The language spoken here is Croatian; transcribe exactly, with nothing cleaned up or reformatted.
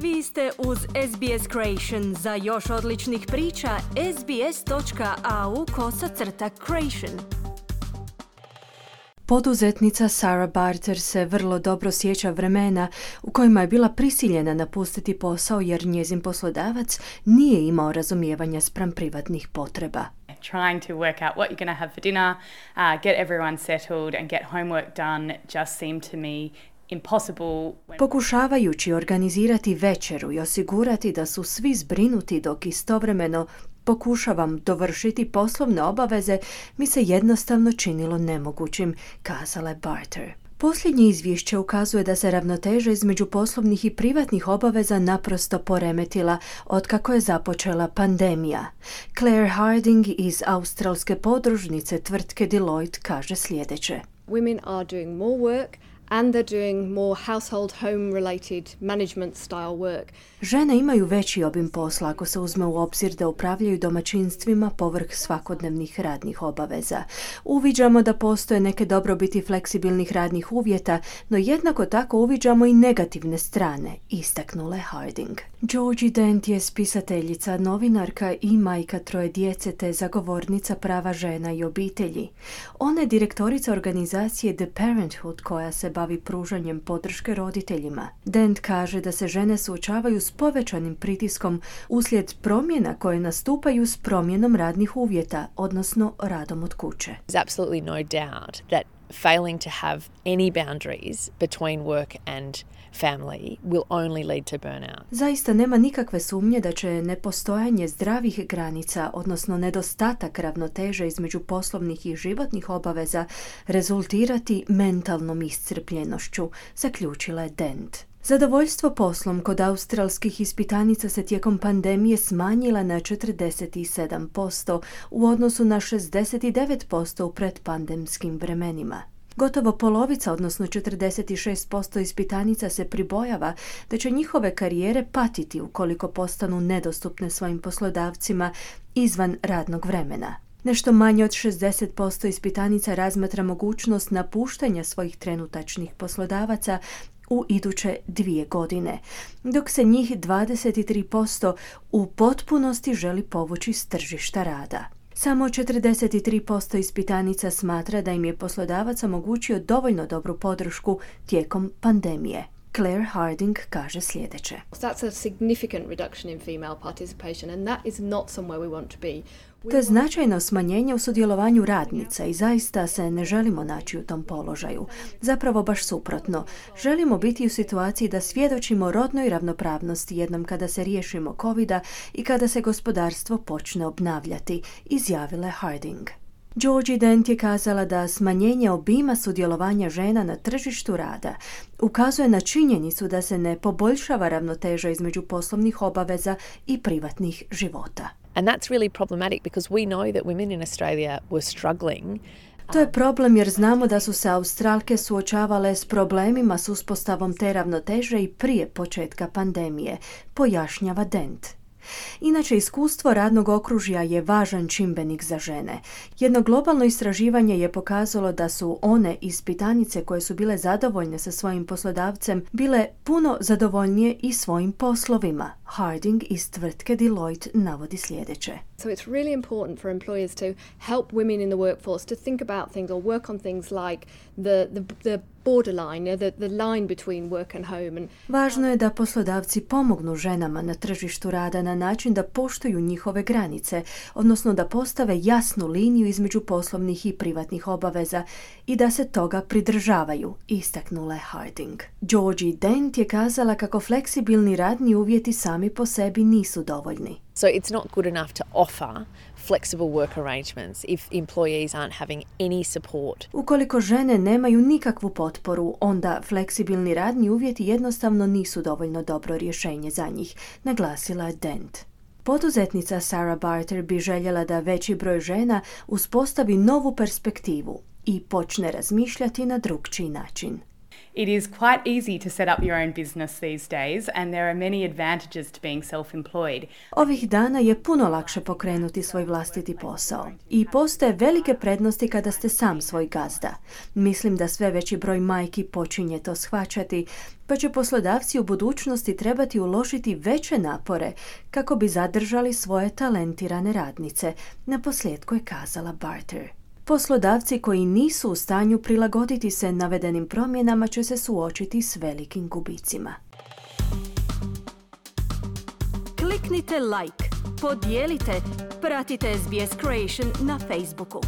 Vi ste uz S B S Creation. Za još odličnih priča, sbs.au kosacrta creation. Poduzetnica Sarah Barter se vrlo dobro sjeća vremena u kojima je bila prisiljena napustiti posao jer njezin poslodavac nije imao razumijevanja spram privatnih potreba. Trying to work out what you're going to have for dinner, uh, get everyone settled and get homework done just seemed to me impossible. Pokušavajući organizirati večeru i osigurati da su svi zbrinuti dok istovremeno pokušavam dovršiti poslovne obaveze, mi se jednostavno činilo nemogućim, kazala je Barter. Posljednje izvješće ukazuje da se ravnoteža između poslovnih i privatnih obaveza naprosto poremetila otkako je započela pandemija. Claire Harding iz australske podružnice tvrtke Deloitte kaže sljedeće. Women are doing more work and they're doing more household home related management style work. Žene imaju veći obim posla ako se uzme u obzir da upravljaju domaćinstvima povrh svakodnevnih radnih obaveza. Uviđamo da postoje neke dobrobiti fleksibilnih radnih uvjeta, no jednako tako uviđamo i negativne strane, istaknula je Harding. Georgie Dent je spisateljica, novinarka i majka troje djece te zagovornica prava žena i obitelji. Ona je direktorica organizacije The Parenthood koja se bavi pružanjem podrške roditeljima. Dent kaže da se žene suočavaju s povećanim pritiskom uslijed promjena koje nastupaju s promjenom radnih uvjeta, odnosno radom od kuće. There's absolutely no doubt that failing to have any boundaries between work and family will only lead to burnout. Zaista nema nikakve sumnje da će nepostojanje zdravih granica, odnosno nedostatak ravnoteže između poslovnih i životnih obaveza, rezultirati mentalnom iscrpljenošću, zaključila je Dent. Zadovoljstvo poslom kod australskih ispitanica se tijekom pandemije smanjila na četrdeset sedam posto u odnosu na šezdeset devet posto u predpandemskim vremenima. Gotovo polovica, odnosno četrdeset šest posto ispitanica se pribojava da će njihove karijere patiti ukoliko postanu nedostupne svojim poslodavcima izvan radnog vremena. Nešto manje od šezdeset posto ispitanica razmatra mogućnost napuštanja svojih trenutačnih poslodavaca u iduće dvije godine, dok se njih dvadeset tri posto u potpunosti želi povući s tržišta rada. Samo četrdeset tri posto ispitanica smatra da im je poslodavac omogućio dovoljno dobru podršku tijekom pandemije. Claire Harding kaže sljedeće. That's a significant reduction in female participation and that is not somewhere we want to be. To je značajno smanjenje u sudjelovanju radnica i zaista se ne želimo naći u tom položaju. Zapravo baš suprotno. Želimo biti u situaciji da svjedočimo rodnoj ravnopravnosti jednom kada se riješimo kovida i kada se gospodarstvo počne obnavljati, izjavila je Harding. Georgie Dent je kazala da smanjenje obima sudjelovanja žena na tržištu rada ukazuje na činjenicu da se ne poboljšava ravnoteža između poslovnih obaveza i privatnih života. And that's really problematic because we know that women in Australia were struggling. To je problem jer znamo da su se Australke suočavale s problemima s uspostavom te ravnoteže i prije početka pandemije, pojašnjava Dent. Inače, iskustvo radnog okružja je važan čimbenik za žene. Jedno globalno istraživanje je pokazalo da su one ispitanice koje su bile zadovoljne sa svojim poslodavcem bile puno zadovoljnije i svojim poslovima. Harding iz tvrtke Deloitte navodi sljedeće. So it's really important for employers to help women in the workforce to think about things or work on things like the the, the borderline, the, the line between work and home. And važno je da poslodavci pomognu ženama na tržištu rada na način da poštuju njihove granice, odnosno da postave jasnu liniju između poslovnih i privatnih obaveza i da se toga pridržavaju, istaknula je Harding. Georgie Dent je kazala kako fleksibilni radni uvjeti sami po sebi nisu dovoljni. So it's not good enough to offer flexible work arrangements if employees aren't having any support. Ukoliko žene nemaju nikakvu potporu, onda fleksibilni radni uvjeti jednostavno nisu dovoljno dobro rješenje za njih, naglasila je Dent. Poduzetnica Sarah Barter bi željela da veći broj žena uspostavi novu perspektivu i počne razmišljati na drukčiji način. It is quite easy to set up your own business these days, and there are many advantages to being self-employed. Ovih dana je puno lakše pokrenuti svoj vlastiti posao i postoje velike prednosti kada ste sam svoj gazda. Mislim da sve veći broj majki počinje to shvaćati, pa će poslodavci u budućnosti trebati uložiti veće napore kako bi zadržali svoje talentirane radnice, naposljetku je kazala Barter. Poslodavci koji nisu u stanju prilagoditi se navedenim promjenama će se suočiti s velikim gubicima. Kliknite like, podijelite, pratite S B S Creation na Facebooku.